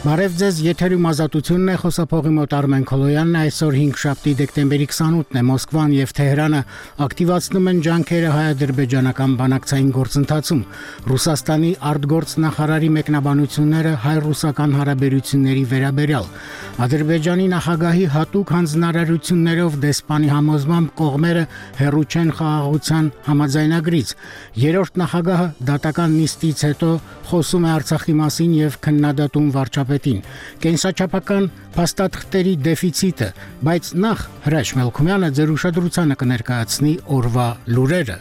Բարև ձեզ, եթերում ազատությունն է, խոսափողի մոտ Արմեն Քոլոյանն է, այսօր 5 դեկտեմբերի 28-ն է, Մոսկվան և Թեհրանը ակտիվացնում են ջանքերը հայ-ադրբեջանական բանակցային գործընթացում, Ռուսաստանի արտգործնախարարի մեկնաբանությունները հայ-ռուսական հարաբերությունների վերաբերյալ, Ադրբեջանի նախագահի հատուկ հանձնարարություններով դեսպանի համոզմամբ կողմերը հեռու չեն խաղաղության համաձայնագրից, երրորդ նախագահը դատական նիստից հետո խոսում է Արցախի մասին և քննադատում վարչապետին, կենսաչափական փաստաթղթերի դեֆիցիտը, բայց նախ Հրաշ Մելքումյանը ձեր ուշադրությանը կներկայացնի օրվա լուրերը։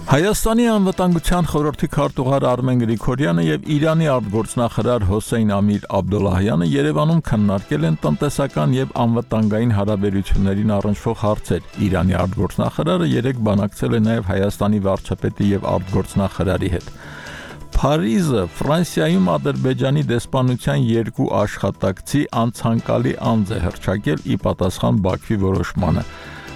Հայաստանի անվտանգության խորհրդի քարտուղար Արմեն Գրիգորյանը եւ Իրանի արտգործնախարար Հոսեյն Ամիր Աբդոլլահյանը Երևանում քննարկել են տնտեսական եւ անվտանգային հարաբերություններին առնչվող հարցեր։ Իրանի արտգործնախարարը երեկ բանակցել է նաեւ Հայաստանի վարչապետի եւ արտգործնախարարի հետ։ Փարիզը Ֆրանսիայում Ադրբեջանի դեսպանության 2 աշխատակցի անցանկալի անձ է հռչակել ի պատասխան Բաքվի որոշմանը։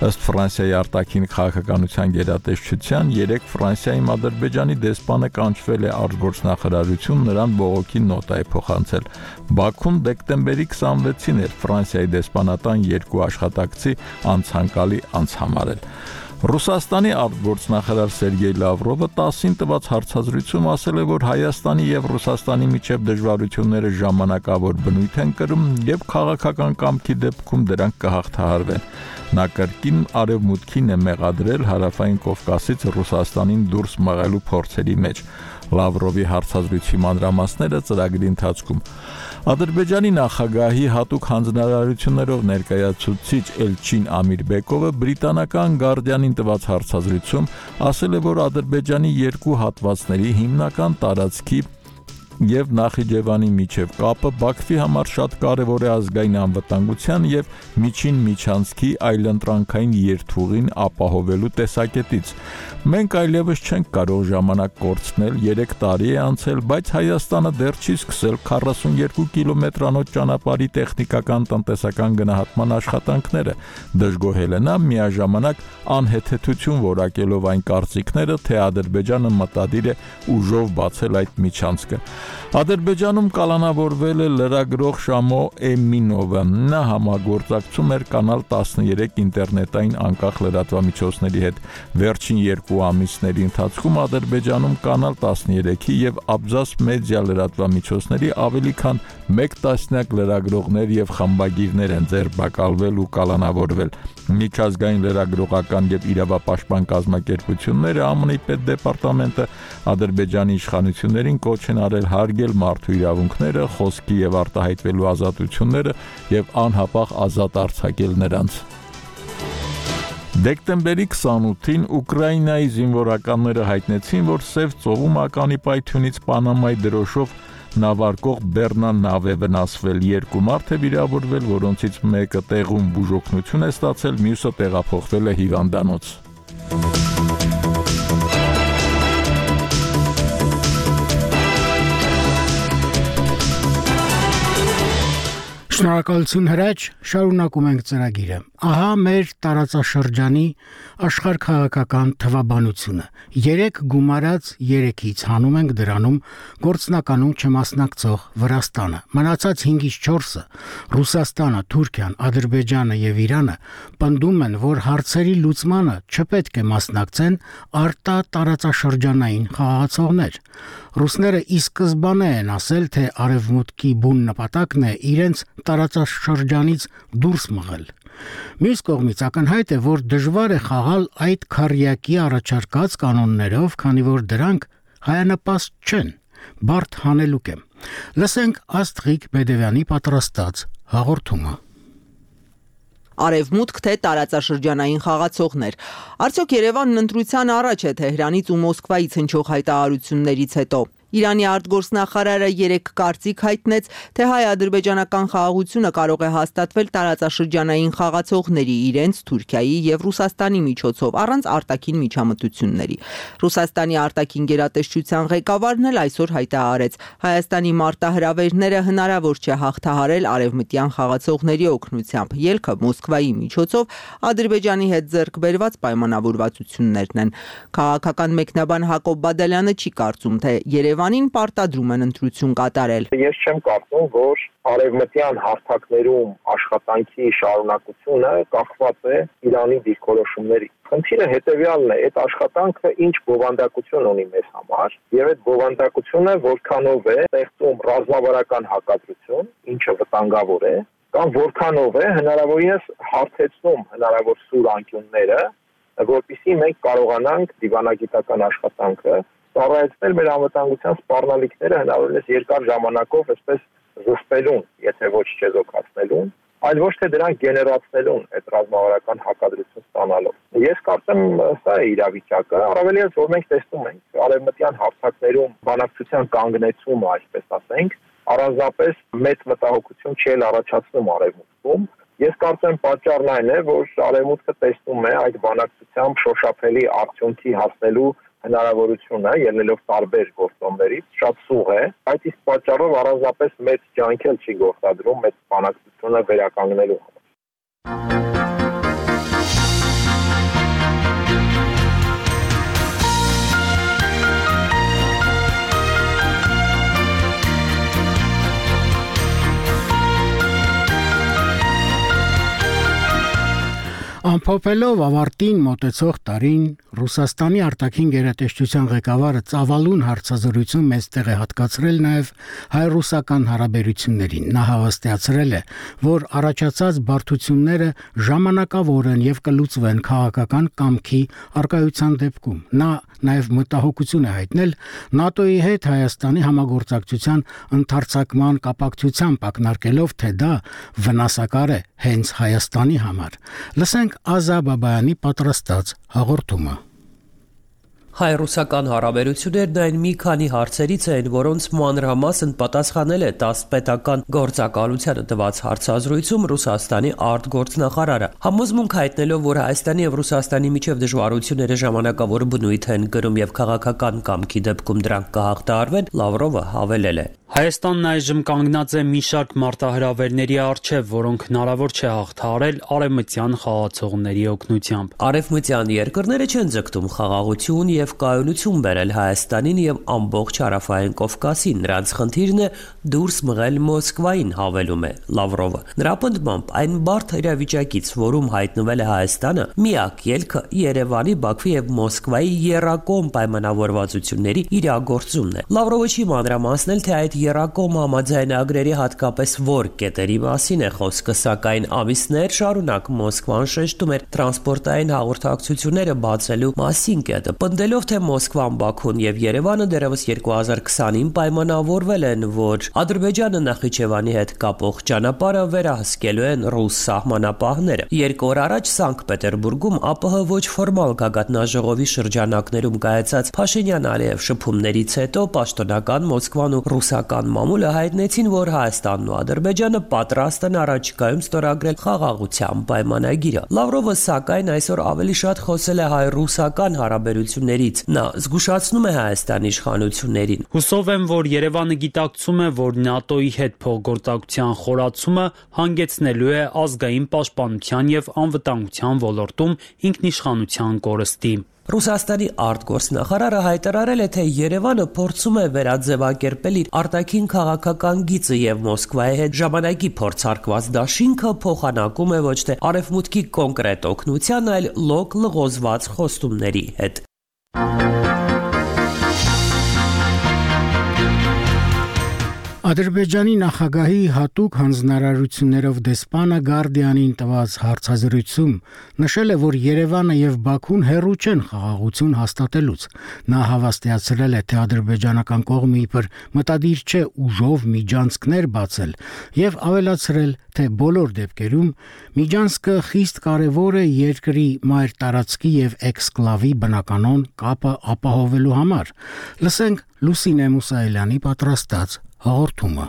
Ըստ Ֆրանսիայի արտաքին քաղաքականության գերատեսչության, երեկ Ֆրանսիայում Ադրբեջանի դեսպանը կանչվել է արտգործնախարարություն, նրան բողոքի նոտ է փոխանցել։ Բաքուն դեկտեմբերի 26-ին էր Ֆրանսիայի դեսպանատան 2 աշխատակցի անցանկալի անձ համարել։ Ռուսաստանի արտգործնախարար Սերգեյ Լավրովը 10-ին տված հարցազրույցում ասել է, որ Հայաստանի եւ Ռուսաստանի միջև դժվարությունները ժամանակավոր բնույթ են կրում եւ քաղաքական կամքի դեպքում դրանք կհաղթահարվեն։ Նա կրկին արևմուտքին է մեղադրել հարավային Կովկասից Ռուսաստանին դուրս մղելու փորձերի մեջ։ Լավրովի հարցազրույցի մանրամասները ծրագրի ընթացքում։ Ադրբեջանի նախագահի հատուկ հանձնարարություններով ներկայացուցիչ Էլչին Ամիրբեկովը բրիտանական Guardian-ին տված հարցազրույցում ասել է, որ Ադրբեջանի 2 հատվածների հիմնական տարածքի եւ Նախիջևանի միջև կապը Բաքվի համար շատ կարեւոր է ազգային անվտանգության եւ միջին միջանցքի այլընտրանքային երթուղին ապահովելու տեսակետից։ Մենք այլևս չենք կարող ժամանակ կորցնել, 3 տարի է անցել, բայց Հայաստանը դեռ չի սկսել 42 կիլոմետրանոց ճանապարհի տեխնիկական տնտեսական գնահատման աշխատանքները, դժգոհել է նա միաժամանակ անհեթեթություն որակելով այն կարծիքները, թե Ադրբեջանը մտադիր է ուժով բացել այդ միջանցքը։ Ադրբեջանում կալանավորվել է լրագրող Շամո Էմինովը։ Նա համագործակցում էր Կանալ 13 ինտերնետային անկախ լրատվամիջոցների հետ։ Վերջին 2 ամիսների ընթացքում Ադրբեջանում Կանալ 13-ի եւ Աբզաս մեդիա լրատվամիջոցների ավելի քան 1 տասնյակ լրագրողներ եւ խմբագիրներ են ձերբակալվել ու կալանավորվել։ Միջազգային լրագրողական եւ իրավապաշտպան կազմակերպությունները, ԱՄՆ-ի պետդեպարտամենտը Ադրբեջանի իշխանություններին կոչ են արել հարգել մարդու իրավունքները, խոսքի եւ արտահայտվելու ազատությունները եւ անհապաղ ազատ արձակել նրանց։ Դեկտեմբերի 28-ին Ուկրաինայի զինվորականները հայտնեցին, որ Սև ծովում ականի պայթյունից Պանամայի դրոշով նավարկող Բեռնան նավ է վնասվել, 2 մարդ է վիրավորվել, որոնցից մեկը տեղում բուժօգնություն է ստացել, մյուսը տեղափոխվել է հիվանդանոց։ Շնորհակալություն Հրաչ, շարունակում ենք ծրագիրը։ Ահա մեր տարածաշրջանի աշխարհքաղաքական թվաբանությունը։ 3 գումարած 3-ից հանում ենք դրանում գործնականում չմասնակցող Վրաստանը։ Մնացած 5-ից 4-ը Ռուսաստանը, Թուրքիան, Ադրբեջանը եւ Իրանը պնդում են, որ հարցերի լուծմանը չպետք է մասնակցեն արտատարածաշրջանային խաղացողներ։ Ռուսները ի սկզբանե են ասել, թե արևմուտքի բուն նպատակն է իրենց տարածաշրջանից դուրս մղել։ Մյուս կողմից ակնհայտ է, որ դժվար է խաղալ այդ քառյակի առաջարկած կանոններով, քանի որ դրանք հայանպաստ չեն, բարդ հանելուկ է։ Լսենք Աստղիկ Բեդևյանի պատրաստած հաղորդումը։ Արևմուտք թե տարածաշրջանային խաղացողներ։ Արդյոք Երևանն ընտրության առաջ է Թեհրանից ու Մոսկվայից հնչող հայտարարություններից հետո։ Իրանի արտգործնախարարը երեկ կարծիք հայտնեց, թե հայ-ադրբեջանական խաղաղությունը կարող է հաստատվել տարածաշրջանային խաղացողների, իրենց, Թուրքիայի եւ Ռուսաստանի միջոցով, առանց արտաքին միջամտությունների։ Ռուսաստանի արտաքին գերատեսչության ղեկավարն էլ այսօր հայտարարեց, Հայաստանի մարտահրավերները հնարավոր չէ հաղթահարել արևմտյան խաղացողների օգնությամբ, ելքը Մոսկվայի միջոցով Ադրբեջանի հետ ձեռք բերված պայմանավորվածություններն են։ Քաղաքական մեկնաբան Հակոբ Բադալյանը չի կարծում, թե Երևանին պարտադրում են ընտրություն կատարել։ Ես չեմ կարծում, որ արևմտյան հարթակներում աշխատանքի շարունակությունը կախված է Իրանի դիրքորոշումներից։ Խնդիրը հետևյալն է, այդ աշխատանքը ինչ բովանդակություն ունի մեզ համար, եւ այդ բովանդակությունը որքանով է ստեղծում ռազմավարական հակադրություն, ինչը վտանգավոր է, կամ որքանով է հնարավորինս հարթեցնում հնարավոր սուր անկյունները, որպեսզի մենք կարողանանք դիվանագիտական աշխատանքը ծառայեցնել մեր անվտանգության սպառնալիքները հնարավորինս երկար ժամանակով այսպես զսպելուն, եթե ոչ չեզոքացնելուն, այլ ոչ թե դրանք գեներացնելուն այդ ռազմավարական հակադրություն ստանալով։ Ես կարծեմ սա է իրավիճակը, առավելևս որ մենք տեսնում ենք արևմտյան հարթակներում բանակցության կանգնեցումը, այսպես ասենք, առանձնապես մեծ մտահոգություն չի առաջացնում արևմուտքում։ Ես կարծեմ պատճառն այն է, որ արևմուտքը տեսնում է այդ բանակցությամբ շոշափելի արդյունքի հասնելու հնարավորությունը ելնելով տարբեր գործոններից շատ սուղ է, այդ իսկ պատճառով առանձնապես մեծ ջանք էլ չի գործադրում մեծ բանակցությունը վերականգնելու համար։ Ամփոփելով ավարտին մոտեցող տարին Ռուսաստանի արտաքին գերատեսչության ղեկավարը ծավալուն հարցազրույցում մեծ տեղ է հատկացրել նաև հայ-ռուսական հարաբերություններին։ Նա հավաստիացրել է, որ առաջացած բարդությունները ժամանակավոր են եւ կլուծվեն քաղաքական կամքի արկայության դեպքում։ Նա նաև մտահոգություն է հայտնել ՆԱՏՕ-ի հետ Հայաստանի համագործակցության ընդարձակման կապակցությամբ ակնարկելով, թե դա վնասակար է հենց Հայաստանի համար։ Լսենք Ազա Բաբայանի պատրաստած հաղորդումը։ Հայ-ռուսական հարաբերություններն այն մի քանի հարցերից են, որոնց մանրամասն պատասխանել է 10 պետական գործակալությանը տված հարցազրույցում Ռուսաստանի արտգործնախարարը, համոզմունք հայտնելով, որ Հայաստանի եւ Ռուսաստանի միջև դժվարությունները ժամանակավոր բնույթ են կրում եւ քաղաքական կամքի դեպքում դրանք կհաղթահարվեն, Լավրովը հավելել է. Հայաստանն այժմ կանգնած է մի շարք մարտահրավերների առջև, որոնք հնարավոր չէ հաղթահարել արևմտյան խաղացողների օգնությամբ։ Արևմտյան երկրները չեն ձգտում խաղաղություն եւ կայունություն բերել Հայաստանին եւ ամբողջ Հարավային Կովկասին, նրանց խնդիրն է դուրս մղել Մոսկվային, հավելում է Լավրովը։ Նրա պնդմամբ այն բարդ իրավիճակից, որում հայտնվել է Հայաստանը, միակ ելքը Երևանի, Բաքվի եւ Մոսկվայի եռակողմ պայմանավորվածությունների իրագործումն է։ Լավրովը չի մանրամասնել, թե այդ եռակողմ համաձայնագրերի հատկապես որ կետերի մասին է խոսքը, սակայն ամիսներ շարունակ Մոսկվան շեշտում էր տրանսպորտային հաղորդակցությունները բացելու մասին կետը, պնդելով, թե Մոսկվան, Բաքուն եւ Երևանը դեռևս 2020-ին պայմանավորվել են, որ Ադրբեջանը Նախիջևանի հետ կապող ճանապարհը վերահսկելու են ռուս սահմանապահները։ 2 օր առաջ Սանկտ Պետերբուրգում ԱՊՀ ոչ ֆորմալ գագաթնաժողովի շրջանակներում կայացած Փաշինյան-Ալիև շփումներից հետո պաշտոնական Մոսկվան ու ռուսական մամուլը հայտնեցին, որ Հայաստանն ու Ադրբեջանը պատրաստ են առաջիկայում ստորագրել խաղաղության պայմանագիրը։ Լավրովը սակայն այսօր ավելի շատ խոսել է հայ-ռուսական հարաբերություններից։ Նա զգուշացնում է Հայաստանի իշխանություններին։ Հուսով եմ, որ Երևանը գիտակցում է, որ ՆԱՏՕ-ի հետ փոխգործակցության խորացումը հանգեցնելու է ազգային պաշտպանության եւ անվտանգության ոլորտում ինքնիշխանության կորստի։ Ռուսաստանի արտգործնախարարը հայտարարել է, թե Երևանը փորձում է վերաձևակերպել իր արտաքին քաղաքական գիծը եւ Մոսկվայի հետ ժամանակի փորձարկված դաշինքը փոխանակում է ոչ թե արևմուտքի կոնկրետ օգնության, այլ լոկ լղոզված խոստումների հետ։ Ադրբեջանի նախագահի հատուկ հանձնարարություններով դեսպանը Guardian-ին տված հարցազրույցում նշել է, որ Երևանը եւ Բաքուն հեռու չեն խաղաղություն հաստատելուց։ Նա հավաստիացրել է, թե ադրբեջանական կողմը իբր մտադիր չէ ուժով միջանցքներ բացել եւ ավելացրել, թե բոլոր դեպքերում միջանցքը խիստ կարեւոր է երկրի մայր տարածքի եւ էքսկլավի բնականon կապը ապահովելու համար։ Լսենք Լուսինե Մուսայելյանի պատրաստած հաղորդումը։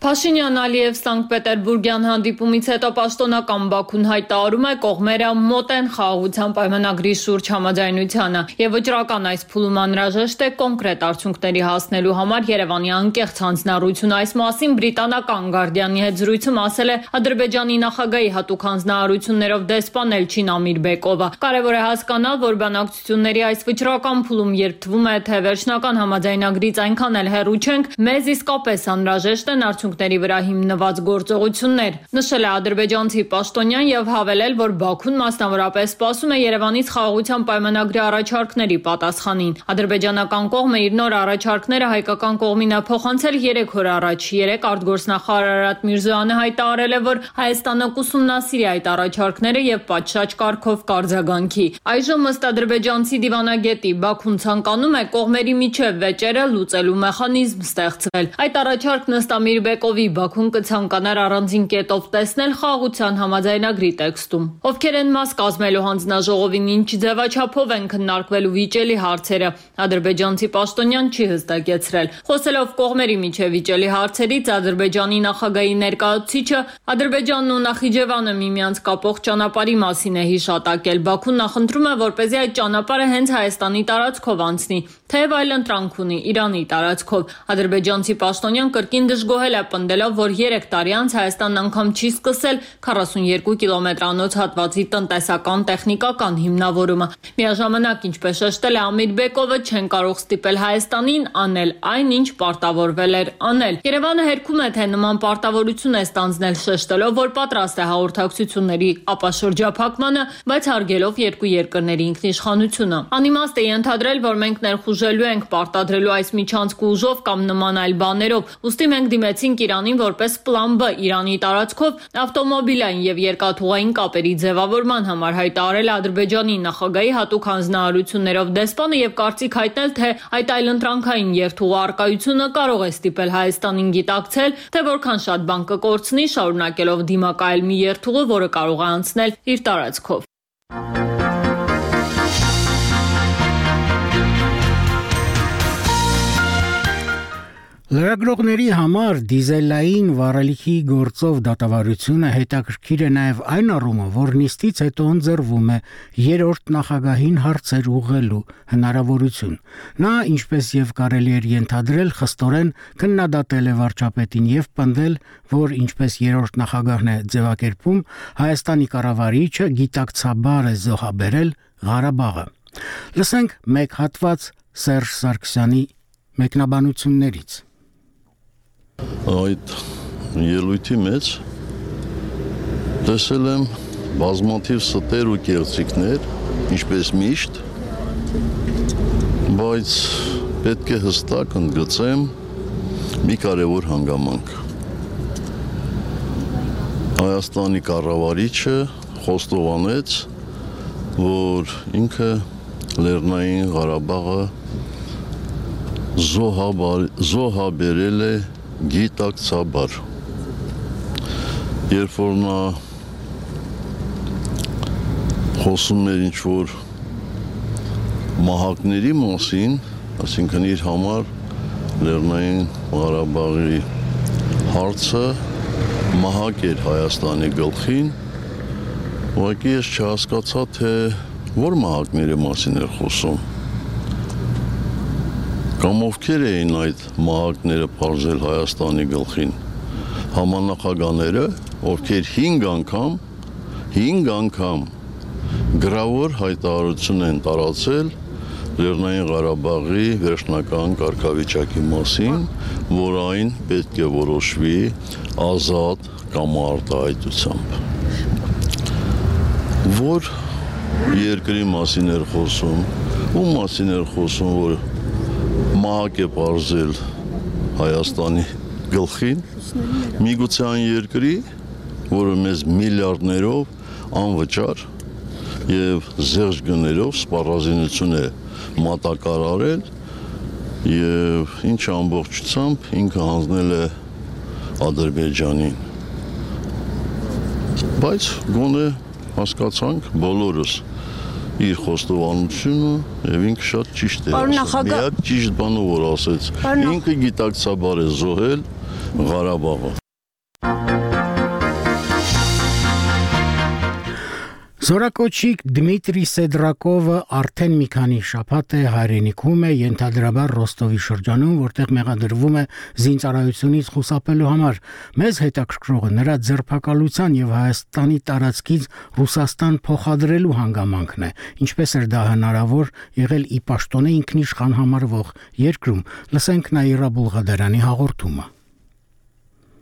Փաշինյան-Ալիև Սանկտ-Պետերբուրգյան հանդիպումից հետո պաշտոնական Բաքուն հայտարարում է կողմերը մոտ են խաղաղության պայմանագրի շուրջ համաձայնությանը եւ վճռական այս փուլում անհրաժեշտ է կոնկրետ արդյունքների հասնելու համար Երևանի անկեղծ հանձնարարություն։ Այս մասին բրիտանական Guardian-ի հետ զրույցում ասել է Ադրբեջանի նախագահի հատուկ հանձնարարություններով դեսպան Էլչին Ամիրբեկովը։ Կարևոր է հասկանալ, որ բանակցությունների այս վճռական փուլում երբ թվում է, թե վերջնական համաձայնագրից այնքան էլ հեռու չենք, մեզ իսկապես անհրաժեշտ են արդյունքների վրա հիմնված գործողություններ։ Նշել է ադրբեջանցի պաշտոնյան եւ հավելել, որ Բաքուն մասնավորապես սպասում է Երևանից խաղաղության պայմանագրի առաջարկների պատասխանին։ Ադրբեջանական կողմը իր նոր առաջարկները հայկական կողմին է փոխանցել 3 օր առաջ։ 3 արտգործնախարար Արարատ Միրզոյանը հայտարարել է, որ Հայաստանը կուսումնասիրի այդ առաջարկները եւ պատշաճ կարգով կարձագանքի։ Այժմ ըստ ադրբեջանցի դիվանագետի Բաքուն ցանկանում է կողմերի միջև վեճերը լուծելու մեխանիզմ ստեղծել։ Այդ առաջարկն ըստ Ամիրբեկովի Բաքուն կցանկանար առանձին կետով տեսնել խաղաղության համաձայնագրի տեքստում։ Ովքեր են մաս կազմելու հանձնաժողովին, ինչ ձևաչափով են քննարկվելու վիճելի հարցերը, ադրբեջանցի պաշտոնյան չի հստակեցրել։ Խոսելով կողմերի միջև վիճելի հարցերից, Ադրբեջանի նախագահի ներկայացուցիչը Ադրբեջանն ու Նախիջևանը միմյանց կապող ճանապարհի մասին է հիշատակել։ Բաքուն նախընտրում է, որպեսզի այդ ճանապարհը հենց Հայաստանի տարածքով անցնի, թեև այլընտրանք ունի Իրանի տարածքով։ Ադրբեջանցի պաշտոնյան կրկին դժգոհել է պնդելով, որ 3 տարի անց Հայաստանն անգամ չի սկսել 42 կիլոմետրանոց հատվածի տնտեսական տեխնիկական հիմնավորումը։ Միաժամանակ, ինչպես շեշտել է Ամիրբեկովը, չեն կարող ստիպել Հայաստանին անել այն, ինչ պարտավորվել էր անել։ Երևանը հերքում է, թե նման պարտավորություն է ստանձնել, շեշտելով, որ պատրաստ է հաղորդակցությունների ապաշրջափակմանը, բայց հարգելով երկու երկրների ինքնիշխանությունը։ Անիմաստ է ենթադրել, որ մենք ներխուժելու ենք պարտադրելու այս միջանցքը ուժով կամ նման այլ բաներով։ Ուստի մենք դիմեցինք Իրանին որպես պլան B Իրանի տարածքով ավտոմոբիլային եւ երկաթուղային կապերի ձևավորման համար, հայտարարել Ադրբեջանի նախագահի հատուկ հանձնարարություններով դեսպանը եւ կարծիք հայտնել, թե այդ այլընտրանքային երթուղու առկայությունը կարող է ստիպել Հայաստանին գիտակցել, թե որքան շատ բան կկորցնի շարունակելով դիմակայել մի երթուղու, որը կարող է անցնել իր տարածքով։ Լրագրողների համար դիզելային վառելիքի գործով դատավարությունը հետաքրքիր է նաև այն առումով, որ նիստից հետո ընձեռվում է երրորդ նախագահին հարցեր ուղղելու հնարավորություն։ Նա, ինչպես եւ կարելի էր ենթադրել, խստորեն քննադատել է վարչապետին եւ պնդել, որ ինչպես երրորդ նախագահն է ձևակերպում, Հայաստանի կառավարիչը գիտակցաբար է զոհաբերել Ղարաբաղը։ Լսենք մեկ հատված Սերժ Սարգսյանի մեկնաբանություններից։ Այդ ելույթի մեջ տեսել եմ բազմաթիվ ստեր ու կեղծիքներ, ինչպես միշտ, բայց պետք է հստակ ընդգծեմ մի կարևոր հանգամանք։ Հայաստանի կառավարիչը խոստովանեց, որ ինքը Լեռնային Ղարաբաղը զոհաբերել է գիտակցաբար։ Երբ որ նա խոսում էր ինչ-որ մահակների մասին, այսինքն իր համար Լեռնային Ղարաբաղի հարցը մահակ էր Հայաստանի գլխին, ուղղակի ես չհասկացա, թե որ մահակների մասին էր խոսում։ Կամ ովքեր էին այդ մահակները պարզել Հայաստանի գլխին, համանախագահները, ովքեր 5 անգամ գրավոր հայտարարություն են տարածել Լեռնային Ղարաբաղի վերջնական կարգավիճակի մասին, որ այն պետք է որոշվի ազատ կամ արտահայտությամբ։ Որ երկրի մասին էր խոսում, ում մասին էր խոսում, որ մահակ է պարզել Հայաստանի գլխին, միգուցե այն երկրի, որը մեզ միլիարդներով անվճար եւ զերծ գներով սպառազինություն է մատակարարել եւ ինչ ամբողջությամբ ինքը հանձնել է Ադրբեջանին։ Բայց գոնե հասկացանք բոլորս իր խոստովանությունը եւ ինքը շատ ճիշտ է ասել։ Միակ ճիշտ բանը որ ասեց, ինքը գիտակցաբար է զոհել Ղարաբաղը։ Զորակոչիկ Դմիտրի Սեդրակովը արդեն մի քանի շաբաթ է հայրենիքում է, ենթադրաբար Ռոստովի շրջանում, որտեղ մեղադրվում է զինծառայությունից խուսափելու համար։ Մեզ հետաքրքրողը նրա ձերբակալության եւ Հայաստանի տարածքից Ռուսաստան փոխադրելու հանգամանքն է։ Ինչպես էր դա հնարավոր եղել ի պաշտոնե ինքնիշխան համարվող երկրում։ Լսենք Նաիրա Բուլղադարյանի հաղորդումը։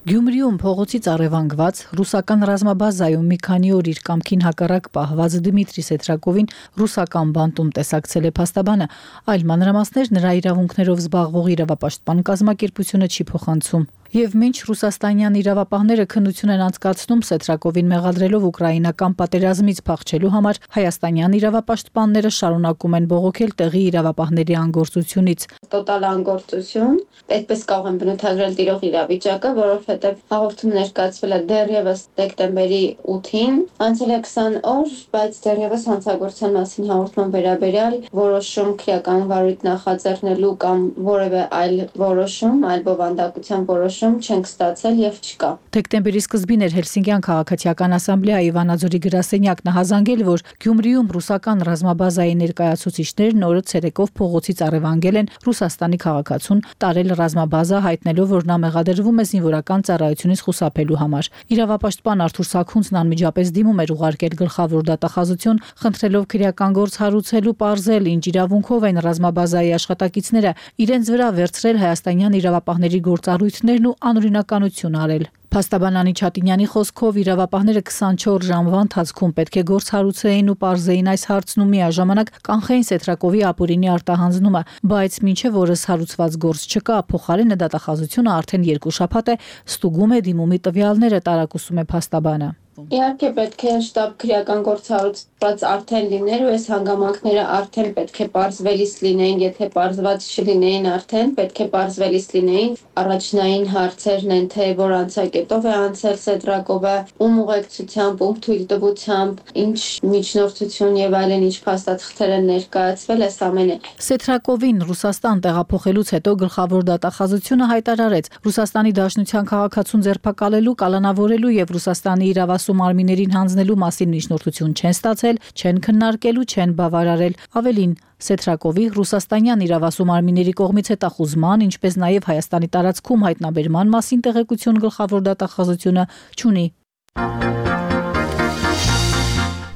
Գյումրիում փողոցից առևանգված ռուսական ռազմաբազայում մի քանի օր իր կամքին հակառակ պահված Դմիտրի Սեդրակովին ռուսական բանտում տեսակցել է փաստաբանը, այլ մանրամասներ նրա իրավունքներով զբաղվող իրավապաշտպան կազմակերպությունը չի փոխանցում։ Եվ մինչ ռուսաստանյան իրավապահները քննություն են անցկացնում Սեդրակովին մեղադրելով ուկրաինական պատերազմից փախչելու համար, հայաստանյան իրավապաշտպանները շարունակում են բողոքել տեղի իրավապահների անգործությունից։ Տոտալ անգործություն, այդպես կարող են բնութագրել տիրող իրավիճակը, որովհետև հաղորդում ներկայացվել է դեռևս դեկտեմբերի 8-ին, անցել է 20 օր, բայց դեռևս հանցագործության մասին հաղորդման վերաբերյալ որոշում քրեական վարույթ նախաձեռնելու կամ որևէ այլ որոշում, այլ բովանդակության որոշում չենք ստացել եւ չկա։ Դեկտեմբերի սկզբին էր Հելսինկյան քաղաքացիական ասամբլեայի Վանաձորի գրասենյակն հազանգել, որ Գյումրիում ռուսական ռազմաբազայի ներկայացուցիչներն օրը ցերեկով փողոցից առևանգել են Ռուսաստանի քաղաքացուն, տարել ռազմաբազա, հայտնելով, որ նա մեղադրվում է զինվորական ծառայությունից խուսափելու համար։ Իրավապաշտպան Արթուր Սաքունցն անմիջապես դիմում էր ուղարկել գլխավոր դատախազություն, խնդրելով քրեական գործ հարուցելու պարզել, ինչ իրավունքով են ռազմաբազայի աշխատակիցները իրենց վրա վերցրել հայաստանյան իրավապահների գործառույթներն ու անօրինականություն արել։ Փաստաբան Անի Չատինյանի խոսքով իրավապահները 24 ժամվա ընթացքում պետք է գործ հարուցեին ու պարզեին այս հարցն ու միաժամանակ կանխեին Սեդրակովի ապօրինի արտահանձնումը, բայց մինչև օրս հարուցված գործ չկա, փոխարենը դատախազությունը արդեն 2 շաբաթ է ստուգում է դիմումի տվյալները, տարակուսում է փաստաբանը։ Իհարկե պետք է շտապ քրեական գործ հարուցված արդեն լիներ ու այս հանգամանքները արդեն պետք է պարզվելիս լինեին, եթե պարզված չլինեին արդեն պետք է պարզվելիս լինեին։ Առաջնային հարցերն են, թե որ անցակետով է անցել Սեդրակովը, ում ուղեկցությամբ, ում թույլտվությամբ, ինչ միջնորդություն եւ այլն, ինչ փաստաթղթեր են ներկայացվել, այս ամենը։ Սեդրակովին Ռուսաստան տեղափոխելուց հետո գլխավոր դատախազությունը հայտարարեց Ռուսաստանի Դաշնության քաղաքացուն ձերբակալելու, կալանավորելու եւ Ռուսաստանի իրավասու մարմիններին հանձնելու մասին միջնորդություն չեն ստացել, չեն քննարկելու, չեն բավարարել։ Ավելին, Սեդրակովի ռուսաստանյան իրավասու մարմինների կողմից հետախուզման, ինչպես նաև Հայաստանի տարածքում հայտնաբերման մասին տեղեկություն գլխավոր դատախազությունը չունի։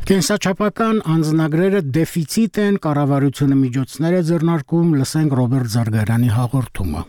Կենսաչափական անձնագրերը դեֆիցիտ են, կառավարությունը միջոցներ է ձեռնարկում, լսենք Ռոբերտ Զարգարյանի հաղորդումը։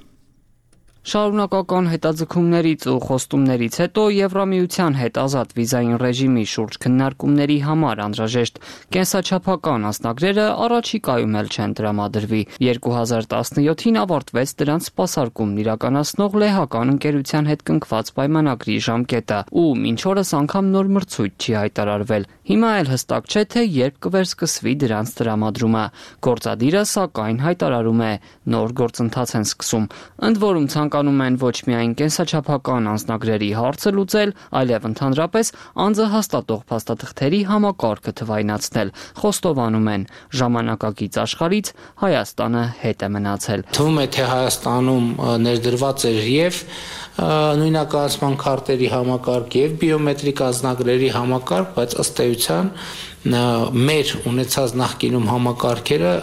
Շարունակական հետաձգումներից ու խոստումներից հետո Եվրամիության հետ ազատ վիզային ռեժիմի շուրջ քննարկումների համար անհրաժեշտ կենսաչափական անձնագրերը առաջիկայում էլ չեն տրամադրվի։ 2017-ին ավարտվեց դրանց սպասարկումն իրականացնող լեհական ընկերության հետ կնքված պայմանագրի ժամկետը, ու մինչ օրս անգամ նոր մրցույթ չի հայտարարվել։ Հիմա էլ հստակ չէ, թե երբ կվերսկսվի դրանց տրամադրումը։ Գործադիրը սակայն հայտարարում է, նոր գործընթաց են սկսում։ Ընդ որում ցանկանում են ոչ միայն կենսաչափական անձնագրերի հարցը լուծել, այլև ընդհանրապես անձը հաստատող փաստաթղթերի համակարգը թվայնացնել։ Խոստովանում են, ժամանակակից աշխարհից Հայաստանը հետ է մնացել։ Թվում է, թե Հայաստանում ներդրված էր եւ նույնականացման քարտերի համակարգ եւ բիոմետրիկ անձնագրերի համակարգ, բայց ըստ էության մեր ունեցած նախկինում համակարգերը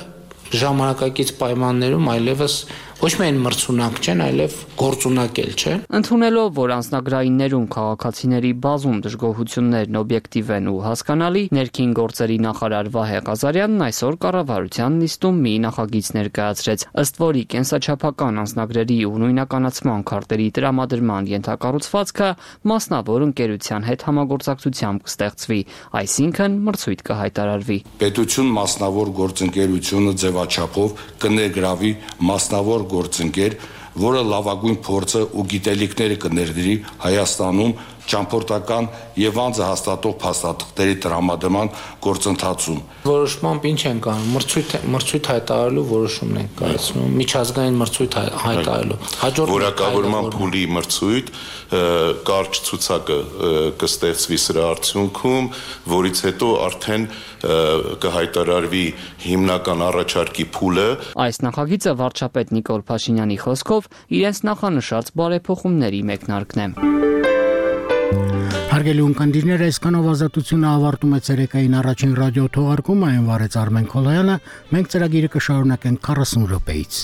ժամանակակից պայմաններում այլևս ոչ միայն մրցունակ չեն, այլև գործունակ էլ չեն։ Ընդունելով, որ անձնագրայիններում քաղաքացիների բազում դժգոհություններն օբյեկտիվ են ու հասկանալի, ներքին գործերի նախարար Վահե Ղազարյանն այսօր կառավարության նիստում մի նախագիծ ներկայացրեց, ըստ որի կենսաչափական անձնագրերի ու նույնականացման քարտերի տրամադրման ենթակառուցվածքը մասնավոր ընկերության հետ համագործակցությամբ կստեղծվի, այսինքն մրցույթ կհայտարարվի։ Պետություն մասնավոր գործընկերությունը ձևաչափով կներգրավի մասնավոր գործընկեր որը լավագույն փորձը ու գիտելիքները կներդրի Հայաստանում ճամփորդական եւ անձը հաստատող փաստաթղթերի տրամադրման գործընթացում։ Որոշմամբ ինչ են կանում, մրցույթ հայտարարելու որոշումն են կայացնում, միջազգային մրցույթ հայտարարելու։ Որակավորման փուլի մրցույթ, կարճ ցուցակը կստեղծվի սրա արդյունքում, որից հետո արդեն կհայտարարվի հիմնական առաջարկի փուլը։ Այս նախագիծը վարչապետ Նիկոլ Փաշինյանի խոսքով իրենց նախանշած բարեփոխումների մեկնարկն է։ Հարգելի ունկնդիրներ, այսքանով ազատությունը ավարտում է ցերեկային առաջին ռադիո թողարկումը, այն վարեց Արմեն Քոլոյանը, մենք ծրագիրը կշարունակենք 40 րոպեից։